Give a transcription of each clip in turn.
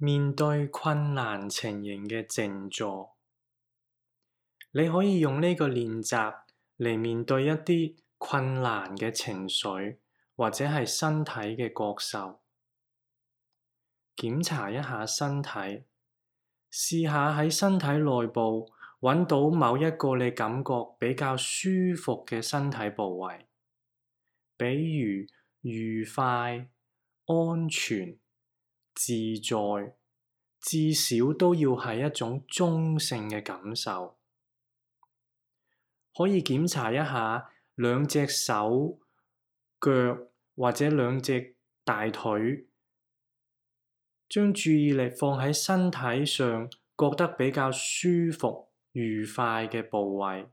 面對困難情形嘅靜坐，你可以用呢個練習嚟面對一啲困難嘅情緒，或者係身體嘅覺受。檢查一下身體，試下喺身體內部揾到某一個你感覺比較舒服嘅身體部位，比如愉快、安全、自在，至少都要係一種中性嘅感受。可以檢查一下兩隻手、腳或者兩隻大腿，將注意力放喺身體上覺得比較舒服、愉快嘅部位，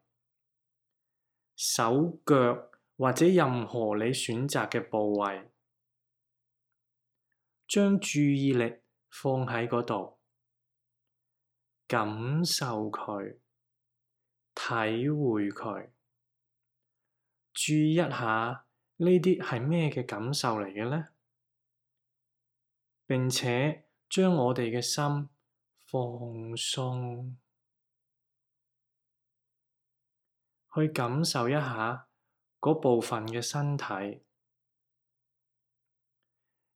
手腳或者任何你選擇嘅部位，將注意力放喺嗰度，感受佢，體會佢，注意一下呢啲係咩嘅感受嚟嘅呢？並且將我哋嘅心放鬆，去感受一下嗰部分嘅身體。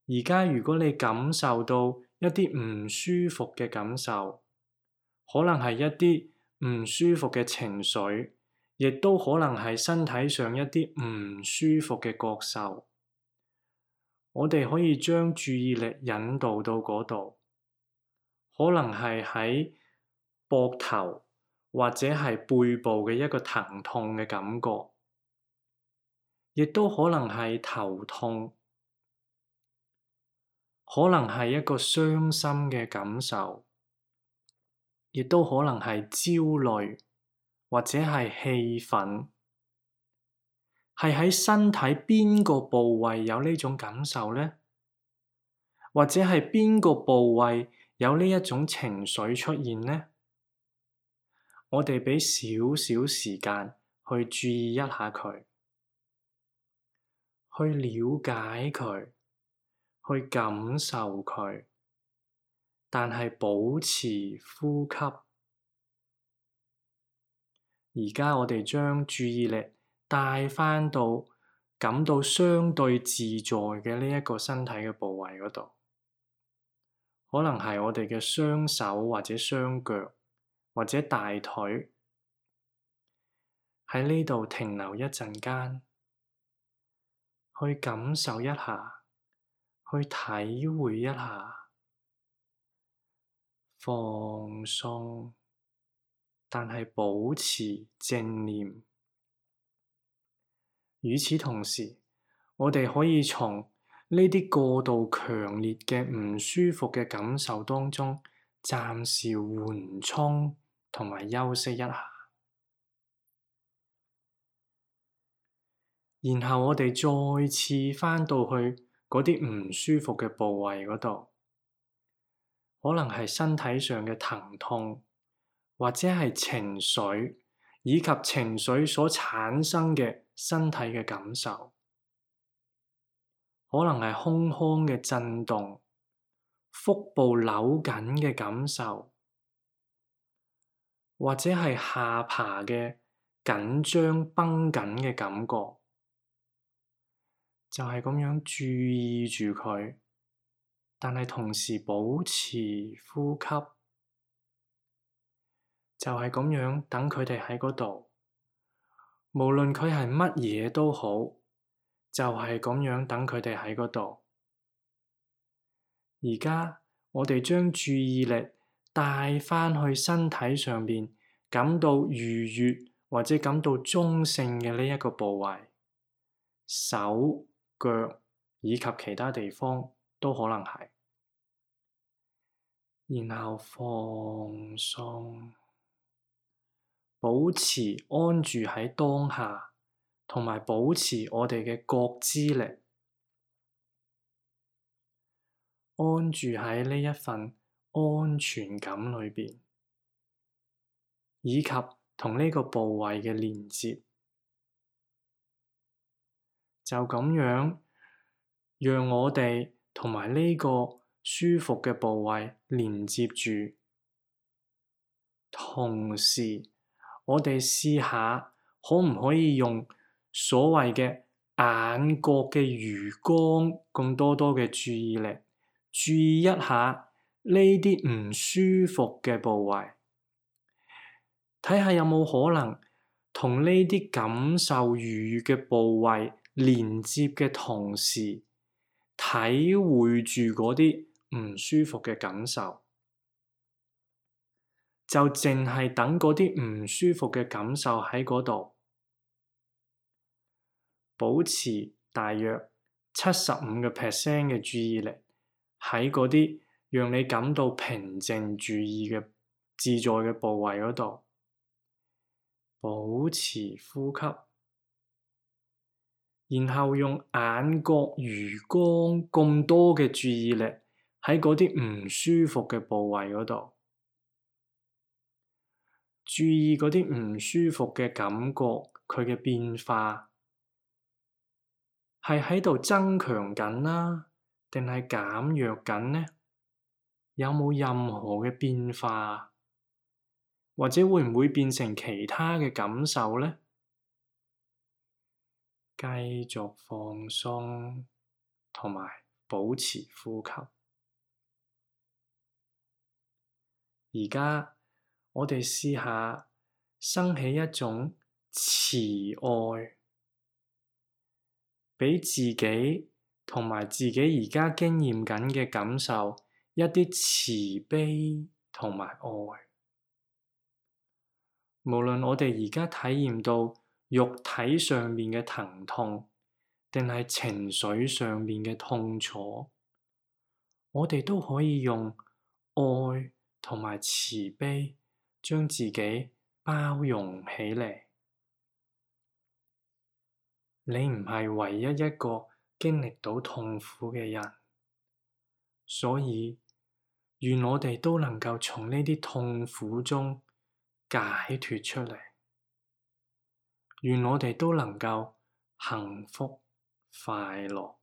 而家如果你感受到一啲唔舒服嘅感受，可能係一啲唔舒服嘅情緒，亦都可能係身體上一啲唔舒服嘅覺受。我哋可以將注意力引導到嗰度，可能係喺膊頭或者係背部嘅一個疼痛嘅感覺，亦都可能係頭痛，可能係一個傷心嘅感受，亦都可能係焦慮或者係氣憤。係喺身體邊個部位有呢種感受呢？或者係邊個部位有呢一種情緒出現呢？我哋俾少少時間去注意一下佢，去了解佢，去感受佢，但係保持呼吸。而家我哋將注意力帶返到感到相對自在嘅呢一個身體嘅部位嗰度，可能係我哋嘅雙手或者雙腳或者大腿，喺呢度停留一陣間，去感受一下，去體會一下，放鬆，但係保持正念。與此同時，我哋可以從呢啲過度強烈嘅唔舒服嘅感受當中，暫時緩衝同埋休息一下。然後我哋再次返到去嗰啲唔舒服嘅部位嗰度，可能係身體上嘅疼痛，或者係情緒，以及情緒所產生嘅身體嘅感受，可能係胸腔嘅震動、腹部扭緊嘅感受，或者係下巴嘅緊張繃緊嘅感覺，就係咁樣注意住佢，但係同時保持呼吸，就係咁樣等佢哋喺嗰度，無論佢係乜嘢都好，就係咁樣等佢哋喺嗰度。而家我哋將注意力帶返去身體上面，感到愉悅或者感到中性嘅呢一個部位，手、腳以及其他地方都可能係。然後放鬆，保持安住喺當下，同埋保持我哋嘅覺知力，安住喺呢一份安全感裏邊，以及同呢個部位嘅連接，就咁樣讓我哋同埋呢個舒服嘅部位連接住。同時，我哋試下可唔可以用所謂嘅眼角嘅餘光咁多嘅注意力，注意一下呢啲唔舒服嘅部位，睇下有冇可能同呢啲感受愉悅嘅部位連接嘅同時，體會住嗰啲唔舒服嘅感受。就淨係等嗰啲唔舒服嘅感受喺嗰度，保持大約75% 嘅注意力喺嗰啲讓你感到平靜注意嘅自在嘅部位嗰度，保持呼吸，然後用眼角餘光咁多嘅注意力喺嗰啲唔舒服嘅部位嗰度。注意嗰啲唔舒服嘅感覺，佢嘅變化係喺度增強緊啦，定係減弱緊呢？有冇任何嘅變化？或者會唔會變成其他嘅感受呢？繼續放鬆，同埋保持呼吸。而家我哋試下生起一種慈愛，畀自己同埋自己而家經驗緊嘅感受一啲慈悲同埋愛。無論我哋而家體驗到肉體上面嘅疼痛，定係情緒上面嘅痛楚，我哋都可以用愛同埋慈悲將自己包容起嚟。你唔係唯一一個經歷到痛苦嘅人，所以願我哋都能夠從呢啲痛苦中解脫出嚟，願我哋都能夠幸福快樂。